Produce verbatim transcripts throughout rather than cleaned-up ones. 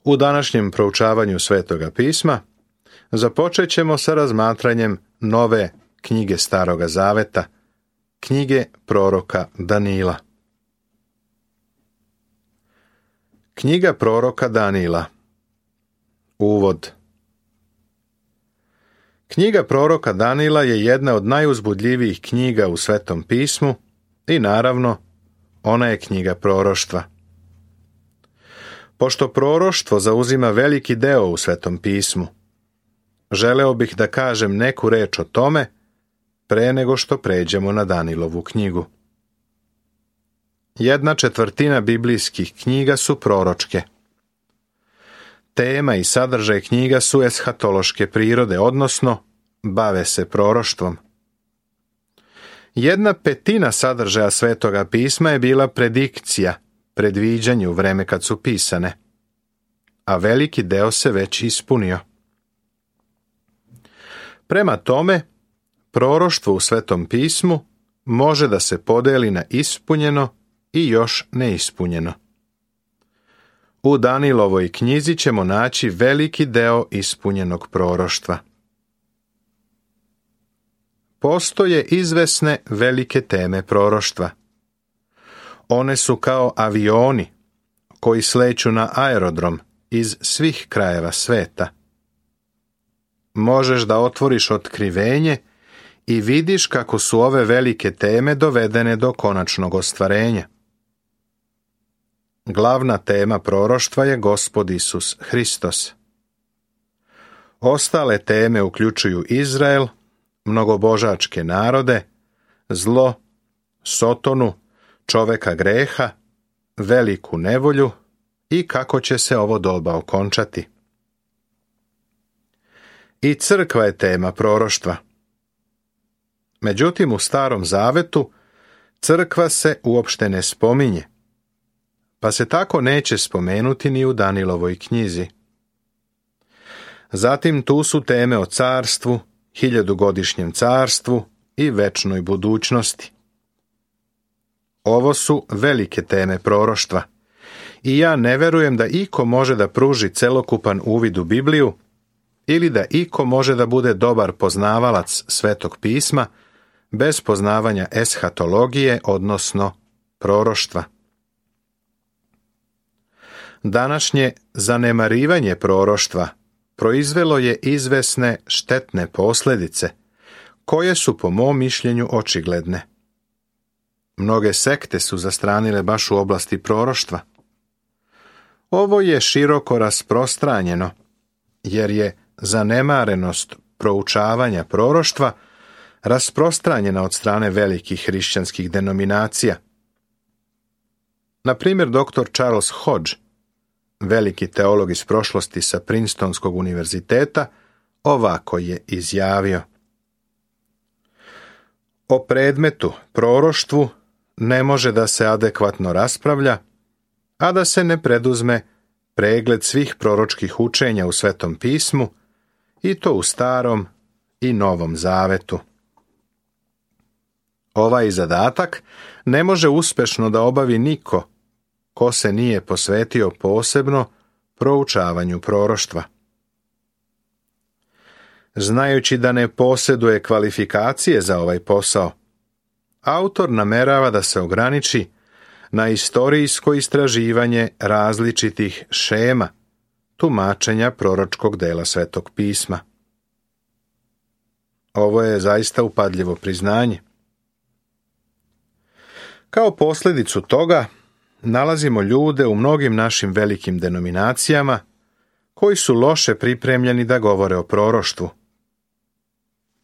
U današnjem proučavanju Svetoga pisma započet ćemo sa razmatranjem nove knjige Staroga Zaveta, knjige proroka Danila. Knjiga proroka Danila. Uvod. Knjiga proroka Danila je jedna od najuzbudljivijih knjiga u Svetom pismu i naravno, ona je knjiga proroštva. Pošto proroštvo zauzima veliki deo u Svetom pismu, želeo bih da kažem neku reč o tome pre nego što pređemo na Danilovu knjigu. Jedna četvrtina biblijskih knjiga su proročke. Tema i sadržaj knjiga su eshatološke prirode, odnosno bave se proroštvom. Jedna petina sadržaja Svetoga pisma je bila predikcija, predviđanje u vreme kad su pisane, a veliki deo se već ispunio. Prema tome, proroštvo u Svetom pismu može da se podeli na ispunjeno i još neispunjeno. U Danilovoj knjizi ćemo naći veliki deo ispunjenog proroštva. Postoje izvesne velike teme proroštva. One su kao avioni koji sleću na aerodrom iz svih krajeva sveta. Možeš da otvoriš otkrivenje i vidiš kako su ove velike teme dovedene do konačnog ostvarenja. Glavna tema proroštva je Gospod Isus Hristos. Ostale teme uključuju Izrael, mnogobožačke narode, zlo, Sotonu, čoveka greha, veliku nevolju i kako će se ovo doba okončati. I crkva je tema proroštva. Međutim, u Starom Zavetu crkva se uopšte ne spominje, pa se tako neće spomenuti ni u Danilovoj knjizi. Zatim tu su teme o carstvu, hiljadugodišnjem carstvu i večnoj budućnosti. Ovo su velike teme proroštva i ja ne verujem da iko može da pruži celokupan uvid u Bibliju ili da iko može da bude dobar poznavalac Svetog pisma bez poznavanja eshatologije, odnosno proroštva. Današnje zanemarivanje proroštva proizvelo je izvesne štetne posljedice, koje su po mom mišljenju očigledne. Mnoge sekte su zastranile baš u oblasti proroštva. Ovo je široko rasprostranjeno, jer je zanemarenost proučavanja proroštva rasprostranjena od strane velikih hrišćanskih denominacija. Na primjer, doktor Charles Hodge, veliki teolog iz prošlosti sa Princetonskog univerziteta, ovako je izjavio: o predmetu proroštvu ne može da se adekvatno raspravlja, a da se ne preduzme pregled svih proročkih učenja u Svetom pismu, i to u Starom i Novom Zavetu. Ovaj zadatak ne može uspešno da obavi niko ko se nije posvetio posebno proučavanju proroštva. Znajući da ne posjeduje kvalifikacije za ovaj posao, autor namerava da se ograniči na istorijsko istraživanje različitih šema tumačenja proročkog dela Svetog pisma. Ovo je zaista upadljivo priznanje. Kao posljedicu toga nalazimo ljude u mnogim našim velikim denominacijama koji su loše pripremljeni da govore o proroštvu.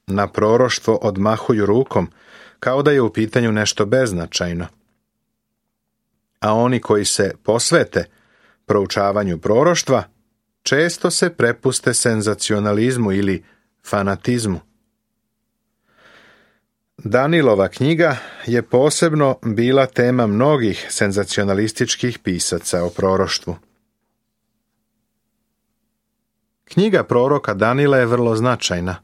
Na proroštvo odmahuju rukom kao da je u pitanju nešto beznačajno. A oni koji se posvete proučavanju proroštva često se prepuste senzacionalizmu ili fanatizmu. Danilova knjiga je posebno bila tema mnogih senzacionalističkih pisaca o proroštvu. Knjiga proroka Danila je vrlo značajna,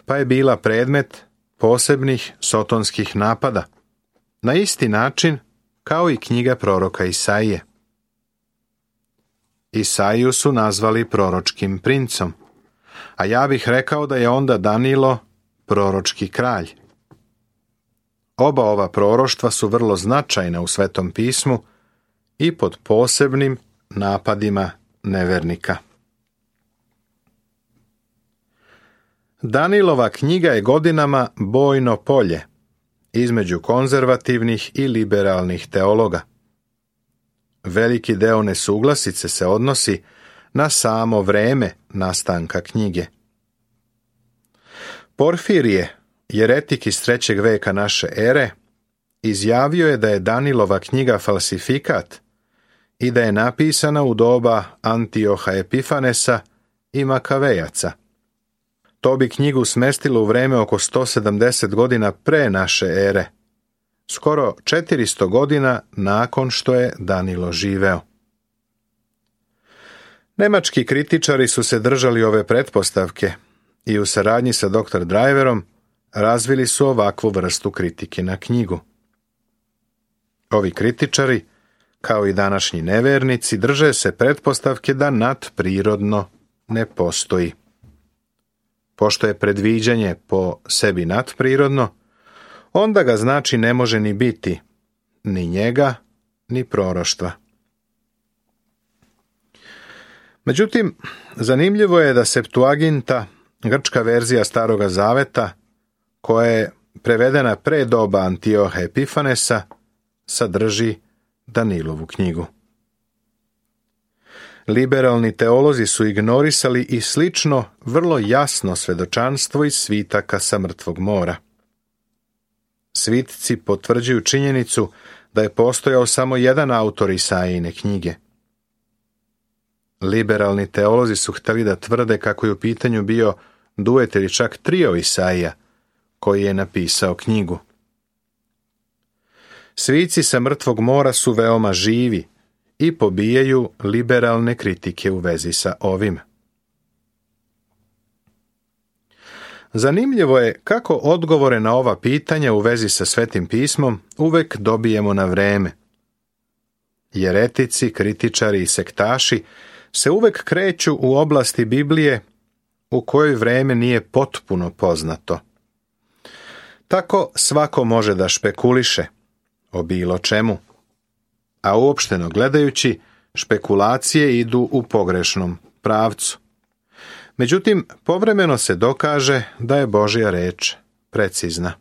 pa je bila predmet posebnih sotonskih napada, na isti način kao i knjiga proroka Isaije. Isaiju su nazvali proročkim princom, a ja bih rekao da je onda Danilo proročki kralj. Oba ova proroštva su vrlo značajna u Svetom pismu i pod posebnim napadima nevernika. Danilova knjiga je godinama bojno polje između konzervativnih i liberalnih teologa. Veliki deo nesuglasice se odnosi na samo vreme nastanka knjige. Porfirije, jeretik iz trećeg veka naše ere, izjavio je da je Danilova knjiga falsifikat i da je napisana u doba Antioha Epifanesa i Makavejaca. To bi knjigu smestilo u vreme oko sto sedamdeset godina pre naše ere, skoro četiristo godina nakon što je Danilo živeo. Nemački kritičari su se držali ove pretpostavke i u saradnji sa doktor Driverom razvili su ovakvu vrstu kritike na knjigu. Ovi kritičari, kao i današnji nevernici, drže se pretpostavke da nadprirodno ne postoji. Pošto je predviđanje po sebi nadprirodno, onda ga znači ne može ni biti, ni njega, ni proroštva. Međutim, zanimljivo je da Septuaginta, grčka verzija Staroga zaveta, koja je prevedena pre doba Antioha Epifanesa, sadrži Danilovu knjigu. Liberalni teolozi su ignorisali i slično vrlo jasno svedočanstvo iz svitaka sa mrtvog mora. Svitci potvrđuju činjenicu da je postojao samo jedan autor Isaijine knjige. Liberalni teolozi su htjeli da tvrde kako je u pitanju bio duet ili čak trio Isaija, koji je napisao knjigu. Svici sa mrtvog mora su veoma živi i pobijaju liberalne kritike u vezi sa ovim. Zanimljivo je kako odgovore na ova pitanja u vezi sa Svetim pismom uvek dobijemo na vreme. Jeretici, kritičari i sektaši se uvek kreću u oblasti Biblije u kojoj vreme nije potpuno poznato. Tako svako može da špekuliše o bilo čemu, a uopšteno gledajući, špekulacije idu u pogrešnom pravcu. Međutim, povremeno se dokaže da je Božja reč precizna.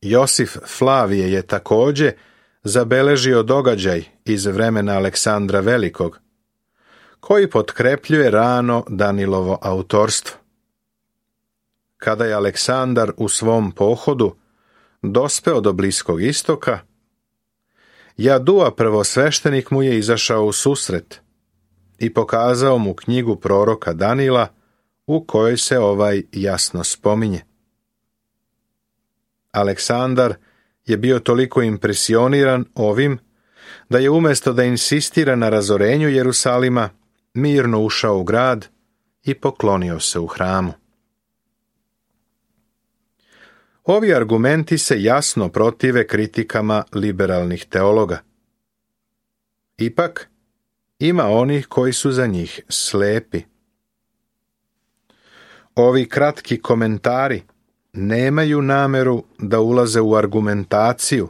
Josif Flavije je također zabeležio događaj iz vremena Aleksandra Velikog, koji potkrepljuje rano Danilovo autorstvo. Kada je Aleksandar u svom pohodu dospeo do Bliskog istoka, Jadua prvosveštenik mu je izašao u susret i pokazao mu knjigu proroka Danila u kojoj se ovaj jasno spominje. Aleksandar je bio toliko impresioniran ovim da je umjesto da insistira na razorenju Jerusalima, mirno ušao u grad i poklonio se u hramu. Ovi argumenti se jasno protive kritikama liberalnih teologa. Ipak, ima onih koji su za njih slepi. Ovi kratki komentari nemaju nameru da ulaze u argumentaciju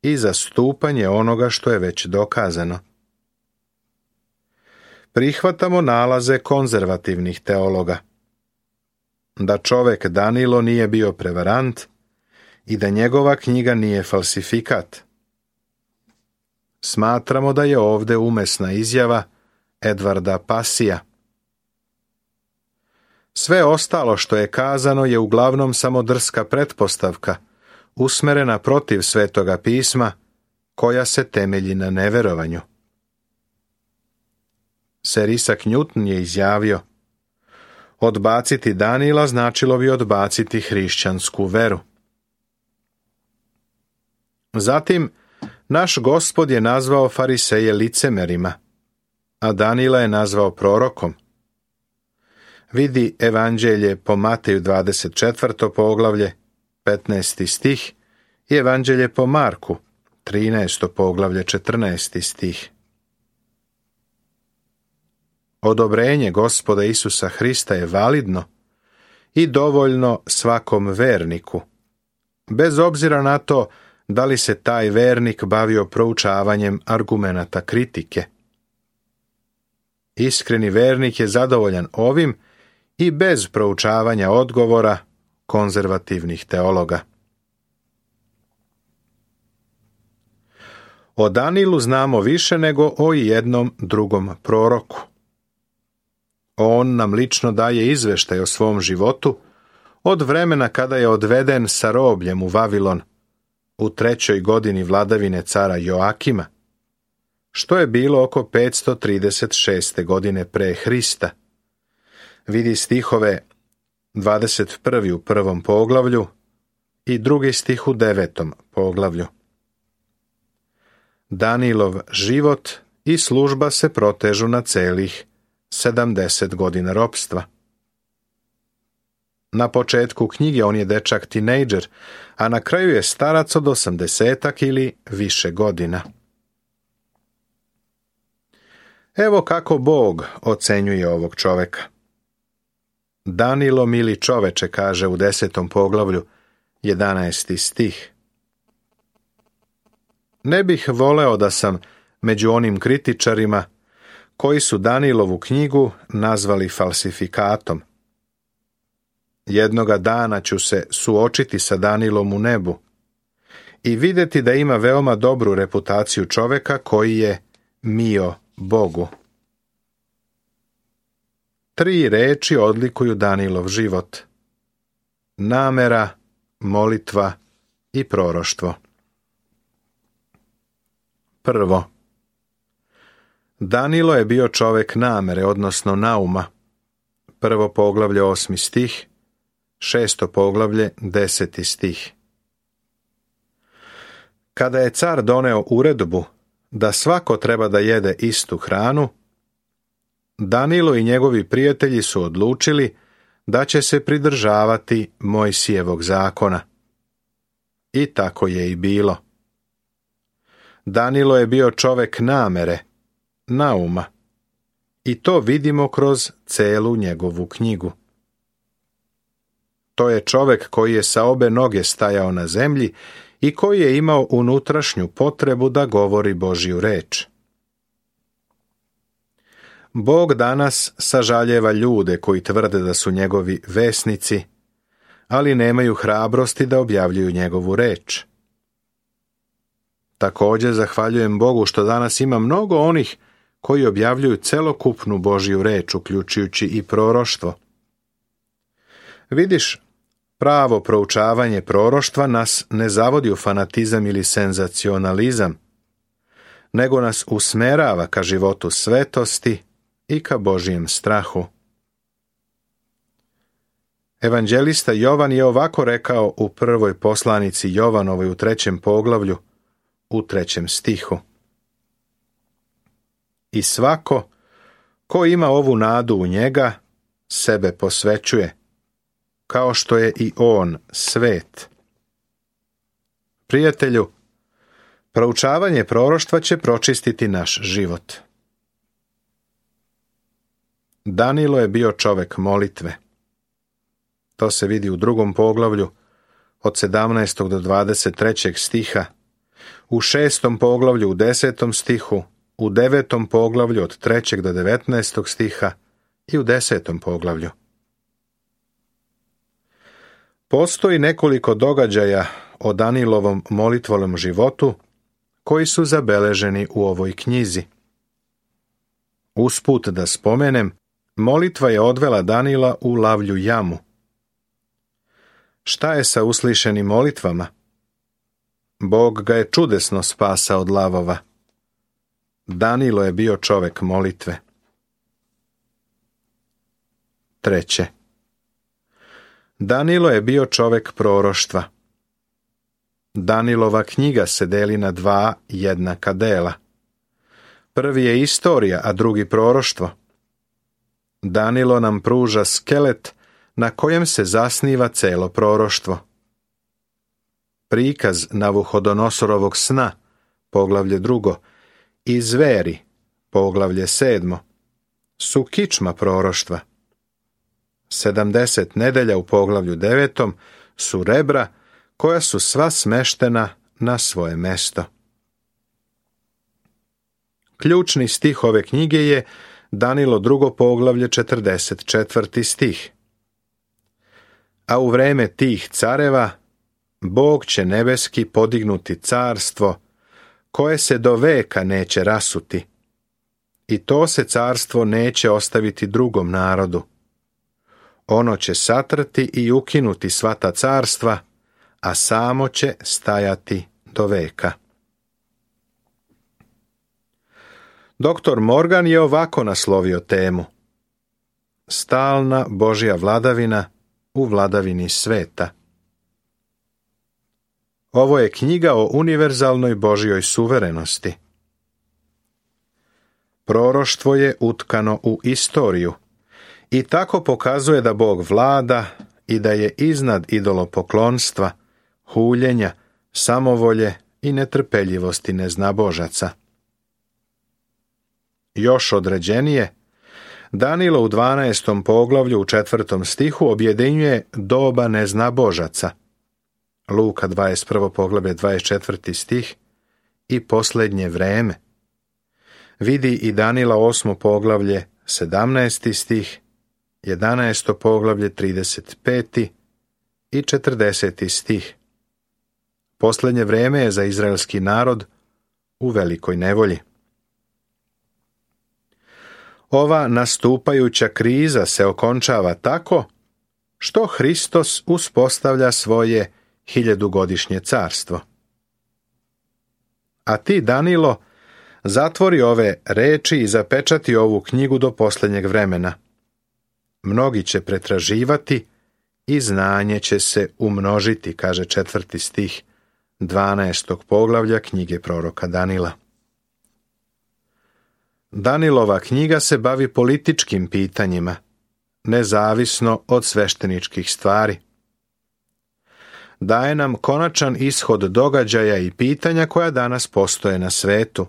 i zastupanje onoga što je već dokazano. Prihvatamo nalaze konzervativnih teologa, da čovek Danilo nije bio prevarant i da njegova knjiga nije falsifikat. Smatramo da je ovde umesna izjava Edvarda Pasija. Sve ostalo što je kazano je uglavnom samo drska pretpostavka, usmerena protiv Svetoga pisma, koja se temelji na neverovanju. Sir Isaac Newton je izjavio: odbaciti Danila značilo bi odbaciti hrišćansku veru. Zatim, naš Gospod je nazvao fariseje licemerima, a Danila je nazvao prorokom. Vidi Evanđelje po Mateju dvadeset četvrto poglavlje, petnaesti stih, i Evanđelje po Marku, trinaesto poglavlje, četrnaesti stih. Odobrenje Gospoda Isusa Hrista je validno i dovoljno svakom verniku, bez obzira na to da li se taj vernik bavio proučavanjem argumenata kritike. Iskreni vernik je zadovoljan ovim i bez proučavanja odgovora konzervativnih teologa. O Danilu znamo više nego o jednom drugom proroku. On nam lično daje izveštaj o svom životu od vremena kada je odveden sa robljem u Vavilon u trećoj godini vladavine cara Joakima, što je bilo oko petsto trideset šeste godine pre Hrista. Vidi stihove dvadeset prvi u prvom poglavlju i drugi stih u devetom poglavlju. Danilov život i služba se protežu na celih sedamdeset godina ropstva. Na početku knjige on je dečak tinejdžer, a na kraju je starac od osamdesetak ili više godina. Evo kako Bog ocenjuje ovog čoveka. Danilo, mili čoveče, kaže u desetom poglavlju, jedanaesti stih. Ne bih voleo da sam među onim kritičarima koji su Danilovu knjigu nazvali falsifikatom. Jednoga dana ću se suočiti sa Danilom u nebu i vidjeti da ima veoma dobru reputaciju čoveka koji je mio Bogu. Tri reči odlikuju Danilov život: namera, molitva i proroštvo. Prvo, Danilo je bio čovek namere, odnosno nauma. Prvo poglavlje, osmi stih, šesto poglavlje, deseti stih. Kada je car doneo uredbu da svako treba da jede istu hranu, Danilo i njegovi prijatelji su odlučili da će se pridržavati Mojsijevog zakona. I tako je i bilo. Danilo je bio čovek namere, nauma, i to vidimo kroz celu njegovu knjigu. To je čovek koji je sa obe noge stajao na zemlji i koji je imao unutrašnju potrebu da govori Božju reč. Bog danas sažaljeva ljude koji tvrde da su njegovi vesnici, ali nemaju hrabrosti da objavljuju njegovu reč. Također zahvaljujem Bogu što danas ima mnogo onih koji objavljuju celokupnu Božju reč, uključujući i proroštvo. Vidiš, pravo proučavanje proroštva nas ne zavodi u fanatizam ili senzacionalizam, nego nas usmerava ka životu svetosti i ka Božjem strahu. Evanđelista Jovan je ovako rekao u prvoj poslanici Jovanovoj u trećem poglavlju, u trećem stihu. I svako ko ima ovu nadu u njega, sebe posvećuje, kao što je i on svet. Prijatelju, proučavanje proroštva će pročistiti naš život. Danilo je bio čovek molitve. To se vidi u drugom poglavlju, od sedamnaestog do dvadeset trećeg stiha, u šestom poglavlju u desetom stihu, u devetom poglavlju od trećeg do devetnaestog stiha i u desetom poglavlju. Postoji nekoliko događaja o Danilovom molitvolnom životu koji su zabeleženi u ovoj knjizi. Usput da spomenem, molitva je odvela Danila u lavlju jamu. Šta je sa uslišenim molitvama? Bog ga je čudesno spasao od lavova. Danilo je bio čovek molitve. Treće. Danilo je bio čovek proroštva. Danilova knjiga se deli na dva jednaka dela. Prvi je istorija, a drugi proroštvo. Danilo nam pruža skelet na kojem se zasniva celo proroštvo. Prikaz Navuhodonosorovog sna, poglavlje drugo, i zveri, poglavlje sedmo, su kičma proroštva. Sedamdeset nedelja u poglavlju devetom su rebra koja su sva smeštena na svoje mesto. Ključni stih ove knjige je Danilo drugo poglavlje četrdeset četvrti stih. A u vreme tih careva Bog će nebeski podignuti carstvo koje se do veka neće rasuti, i to se carstvo neće ostaviti drugom narodu. Ono će satrati i ukinuti sva ta carstva, a samo će stajati do veka. Doktor Morgan je ovako naslovio temu: Stalna Božja vladavina u vladavini sveta. Ovo je knjiga o univerzalnoj Božjoj suverenosti. Proroštvo je utkano u istoriju i tako pokazuje da Bog vlada i da je iznad idolopoklonstva, huljenja, samovolje i netrpeljivosti neznabožaca. Još određenije, Danilo u dvanaestom poglavlju u četvrtom stihu objedinjuje doba neznabožaca, Luka dvadeset prvo poglavlje dvadeset četvrti stih, i posljednje vreme. Vidi i Danila osmo poglavlje sedamnaesti stih, jedanaesto poglavlje trideset peti i četrdeseti stih. Posljednje vreme je za izraelski narod u velikoj nevolji. Ova nastupajuća kriza se okončava tako što Hristos uspostavlja svoje hiljadugodišnje carstvo. A ti, Danilo, zatvori ove reči i zapečati ovu knjigu do posljednjeg vremena. Mnogi će pretraživati i znanje će se umnožiti, kaže četvrti stih dvanaestog poglavlja knjige proroka Danila. Danilova knjiga se bavi političkim pitanjima, nezavisno od svešteničkih stvari. Daje nam konačan ishod događaja i pitanja koja danas postoje na svetu.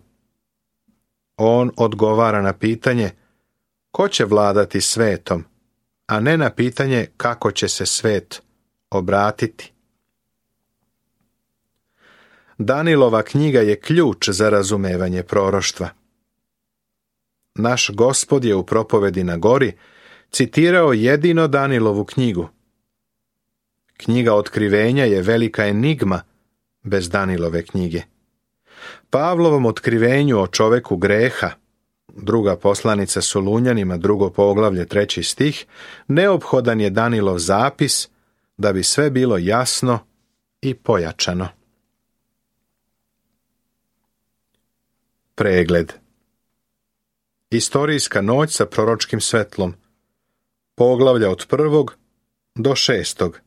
On odgovara na pitanje ko će vladati svetom, a ne na pitanje kako će se svet obratiti. Danilova knjiga je ključ za razumevanje proroštva. Naš Gospod je u propovedi na gori citirao jedino Danilovu knjigu. Knjiga Otkrivenja je velika enigma bez Danilove knjige. Pavlovom otkrivenju o čoveku greha, druga poslanica Solunjanima, drugo poglavlje, treći stih, neophodan je Danilov zapis da bi sve bilo jasno i pojačano. Pregled. Istorijska noć sa proročkim svetlom. Poglavlja od prvog do šestog.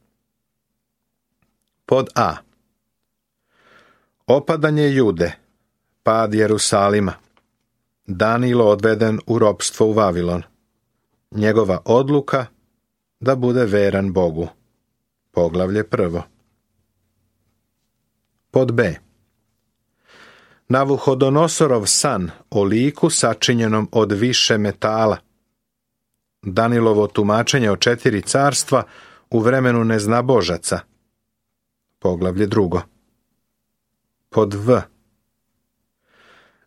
Pod A. Opadanje Jude, pad Jerusalima. Danilo odveden u ropstvo u Vavilon. Njegova odluka da bude veran Bogu. Poglavlje prvo. Pod B. Navuhodonosorov san o liku sačinjenom od više metala. Danilovo tumačenje o četiri carstva u vremenu neznabožaca. Poglavlje drugo. Pod V.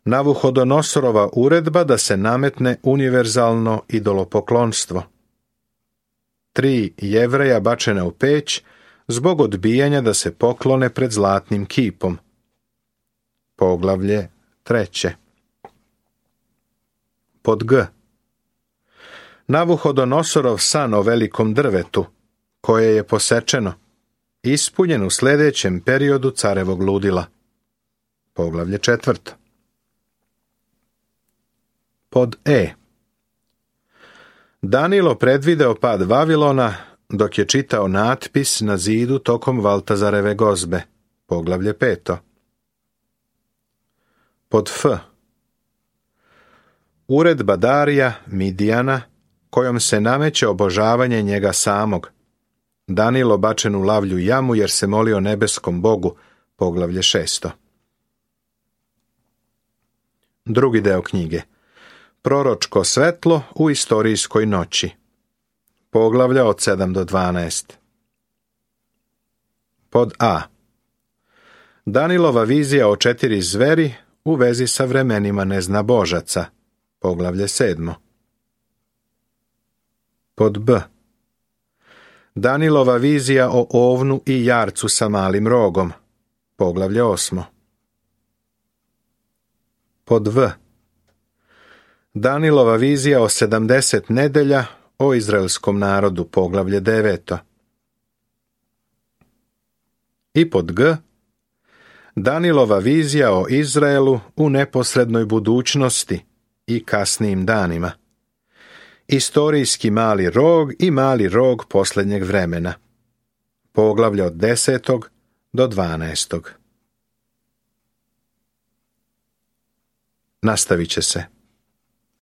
Navuhodonosorova uredba da se nametne univerzalno idolopoklonstvo. Tri Jevreja bačena u peć zbog odbijanja da se poklone pred zlatnim kipom. Poglavlje treće. Pod G. Navuhodonosorov san o velikom drvetu, koje je posečeno, ispunjen u sljedećem periodu carevog ludila. Poglavlje četvrto. Pod E. Danilo predvideo pad Vavilona dok je čitao natpis na zidu tokom Valtazareve gozbe. Poglavlje peto. Pod F. Uredba Darija, Midijana, kojom se nameće obožavanje njega samog. Danilo bačen u lavlju jamu jer se molio nebeskom Bogu. Poglavlje šesto. Drugi deo knjige. Proročko svetlo u istorijskoj noći. Poglavlja od sedam do dvanaest. Pod A. Danilova vizija o četiri zveri u vezi sa vremenima neznabožaca. Poglavlje sedmo. Pod B. Danilova vizija o ovnu i jarcu sa malim rogom. Poglavlje osmo. Pod V. Danilova vizija o sedamdeset nedelja o izraelskom narodu. Poglavlje deveto. I pod G. Danilova vizija o Izraelu u neposrednoj budućnosti i kasnijim danima. Istorijski mali rog i mali rog posljednjeg vremena. Poglavlje od desetog do dvanaestog. Nastavit će se.